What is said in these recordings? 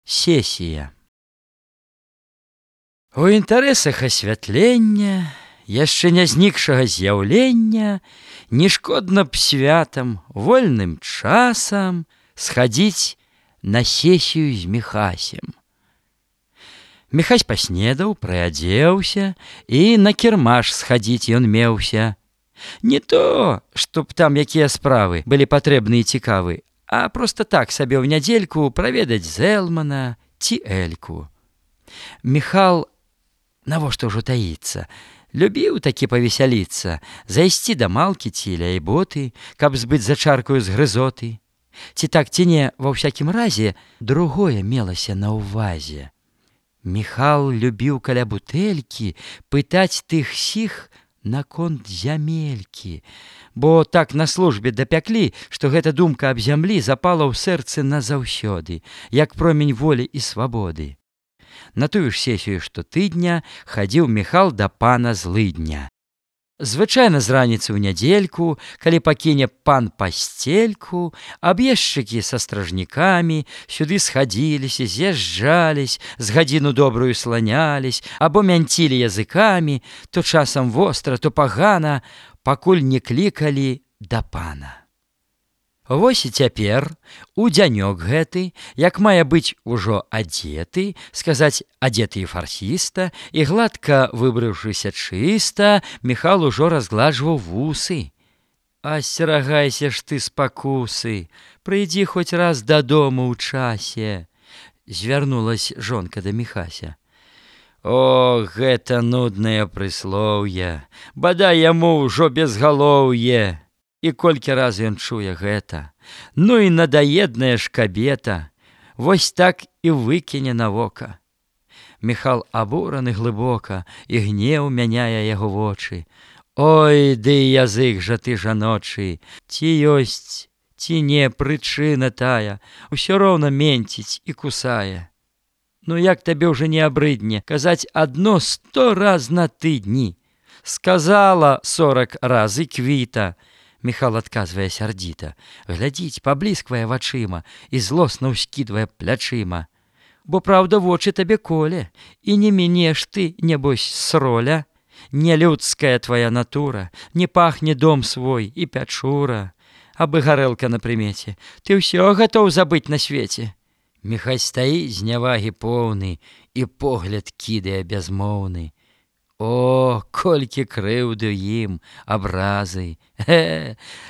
Сесія. У інтарэсах асвятлення, яшчэ не знікшага з'яўлення, не шкодна б святам, вольным часам схадзіць на сесію з Міхасем. Міхась паснедаў, прыадзеўся, і на кірмаш схадзіць ён меўся. Не то, чтоб там якія справы былі патрэбны і цікавы, а проста так сабе ў нядзельку праведаць Зэлмана ці Эльку. Міхал, навошта ўжо таіцца, любіў такі павесяліцца, зайсці да малкі ці ляйботы, каб збыць за чаркаю з грызоты. Ці так, ці не, ва ўсякім разе, другое мелася на ўвазе. Міхал любіў каля бутэлькі пытаць тых-сіх наконт зямелькі, бо так на службе дапяклі, што гэта думка аб зямлі запала ў сэрцы назаўсёды, як промень волі і свабоды. На тую ж сесію штотыдня хадзіў Міхал да пана Злыдня. Звычайна з раніцы ў нядзельку, калі пакіне пан пасцельку, аб'ездчыкі са стражнікамі сюды схадзіліся, з'язджались, з гадзіну добрую сланялись, або мянцілі языкамі, то часам востра, то пагана, пакуль не клікалі да пана. Вось і цяпер, у дзянёк гэты, як мае быць ужо адзеты, сказаць адзеты і фарсіста, і гладка выбрыўшыся чыста, Міхал ужо разгладжваў вусы. Асцерагайся ж ты спакусы, прыйдзі хоць раз дадому ў часе, звярнулась жонка да Міхася. О, гэта нуднае прыслоўе, бадай яму ўжо безгалоўе. І колькі раз ён чуе гэта, ну і надаедная ж кабета, вось так і выкіне на вока. Міхал абураны глыбока, і гнеў мяняе яго вочы. Ой, ды язык жа ты жаночы, ці ёсць, ці не прычына тая, усё роўна менціць і кусае. Ну як табе ўжо не абрыдне казаць адно 100 раз на тыдні? Сказала 40 раз і квіта. Міхал адказвае сярдзіта, глядзіць, паблісквае вачыма і злосна ўскідвае плячыма. Бо праўда вочы табе коле, і не мінеш ты, небось, сроля. Не людская твая натура, не пахне дом свой і пячура. Абы гарэлка на прымеце, ты ўсё гатоў забыць на свеце. Міхась стаіць з нявагі поўны і погляд кідае бязмоўны. О, колькі крыўды ім, абразы!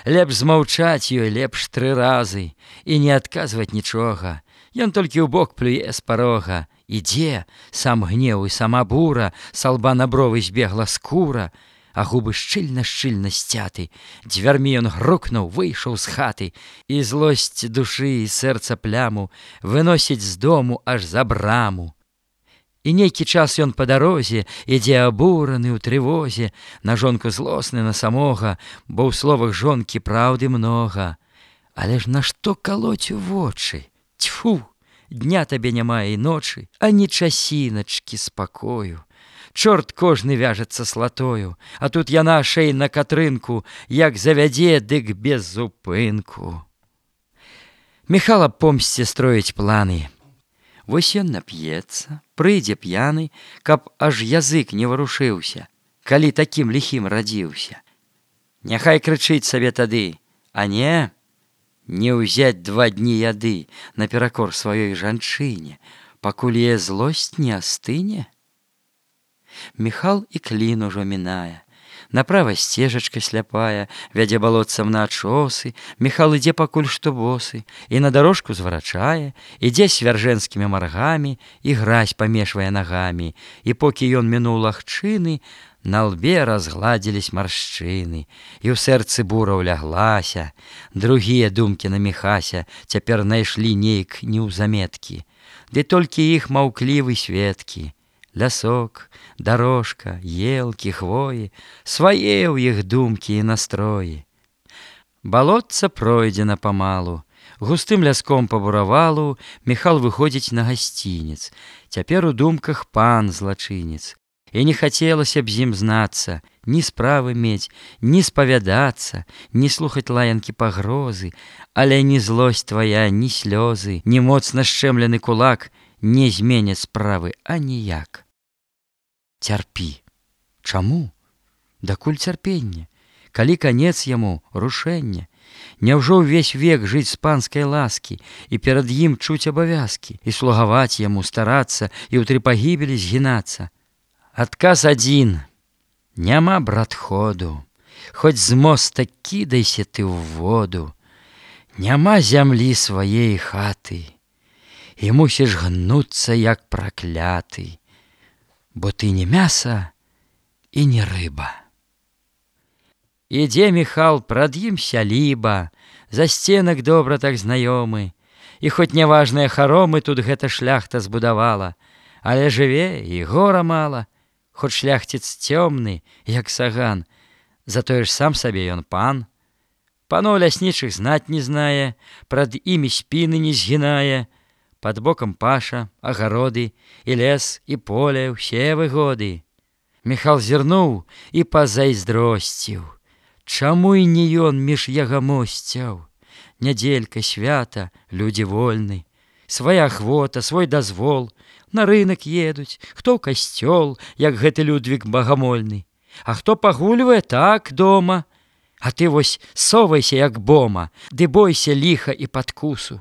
Лепш змаўчаць ёй, лепш 3 разы, і не адказваць нічога. Ён толькі ў бок плюе з парога. Ідзе, сам гнеў і сама бура, са лба на бровы збегла скура, а губы шчыльна-шчыльна сцяты. Дзвярмі ён грукнуў, выйшаў з хаты, і злосць душы і сэрца пляму выносіць з дому аж за браму. І нейкі час ён па дарозе ідзе абураны ў трывозе, на жонку злосны на самога, бо ў словах жонкі праўды многа. Але ж нашто калоць у вочы? Цьфу, дня табе няма і ночы, ані часіначкі спакою. Чорт кожны вяжацца слатою, а тут яна шэй на катрынку, як завядзе, дык без зупынку. Міхал аб помсце строіць планы. Вось ён нап'ецца, прыйдзе п'яны, каб аж язык не варушыўся, калі такім ліхім радзіўся. Няхай крычыць сабе тады, а не ўзяць 2 дні яды наперакор сваёй жанчыне, пакуль яе злосць не астыне. Міхал і клін ужо мінае. Направа сцежачка сляпая, вядзе балотцам на ачосы, Міхал ідзе пакуль што босы, і на дарожку зварачае, ідзе свяржэнскімі маргамі, і гразь памешвае нагамі, і покі ён мінуў лагчыны, на лбе разгладзілись маршчыны, і ў сэрцы бура ўляглася. Другія думкі на Міхася цяпер найшлі нейк неўзаметкі, ды толькі іх маўклівы сведкі. Лясок, дарожка, елкі, хвоі, свае ў іх думкі і настроі. Балотца пройдзена памалу, густым ляском па буравалу Міхал выходзіць на гасцінец. Цяпер у думках пан злачынец, і не хацелася б з ім знацца, ні справы мець, ні спавядацца, ні слухаць лаянкі пагрозы, але ні злосць твая, ні слёзы, ні моцна шчэмлены кулак не зменяць справы аніяк. Цярпі. Чаму? Дакуль цярпенне? Калі канец яму рушэння? Няўжо ўвесь век жыць з панскай ласкі і перад ім чуць абавязкі, і слугаваць яму, старацца і ў тры пагібелі згінацца? Адказ адзін. Няма, брат, ходу, хоць з моста кідайся ты ў воду. Няма зямлі сваей хаты, і мусіш гнуцца, як пракляты, бо ты не мяса і не рыба. Ідзе Міхал, прад ім сяліба, за сценак добра так знаёмы, і хоць няважныя харомы тут гэта шляхта збудавала, але жыве і гора мала, хоць шляхціц цёмны, як саган, затое ж сам сабе ён пан. Паноў ляснічых знаць не знае, прад імі спіны не згінае, пад бокам паша, агароды, і лес, і поле, усе выгоды. Міхал зірнуў і пазайздросціў. Чаму і не ён між ягамосцяў? Нядзелька, свята, людзі вольны, свая ахвота, свой дазвол, на рынак едуць, хто ў касцёл, як гэты Людвік багамольны, а хто пагульвае так дома. А ты вось совайся, як бома, ды бойся ліха і падкусу,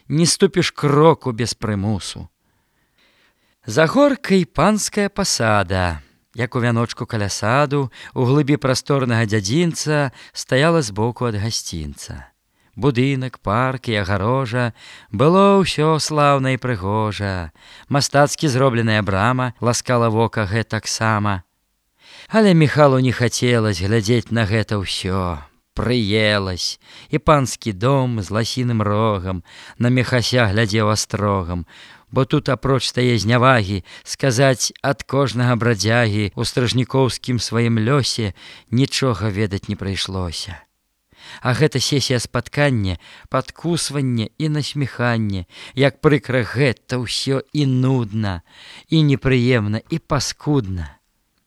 не ступіш кроку без прымусу. За горкай панская пасада, як у вяночку каля саду, у глыбі прасторнага дзядзінца стаяла збоку ад гасцінца. Будынак, парк і агарожа, было ўсё слаўна і прыгожа. Мастацкі зробленая брама ласкала вока гэтаксама. Але Міхалу не хацелася глядзець на гэта ўсё. Прыелась, і панскі дом з ласіным рогам на Міхася глядзеў астрогам, бо тут апроч тае знявагі сказаць ад кожнага брадзягі ў стражнікоўскім сваім лёсе нічога ведаць не прыйшлося. А гэта сесія спаткання, падкусванне і насміханне, як прыкра гэта ўсё і нудна, і непрыемна, і паскудна.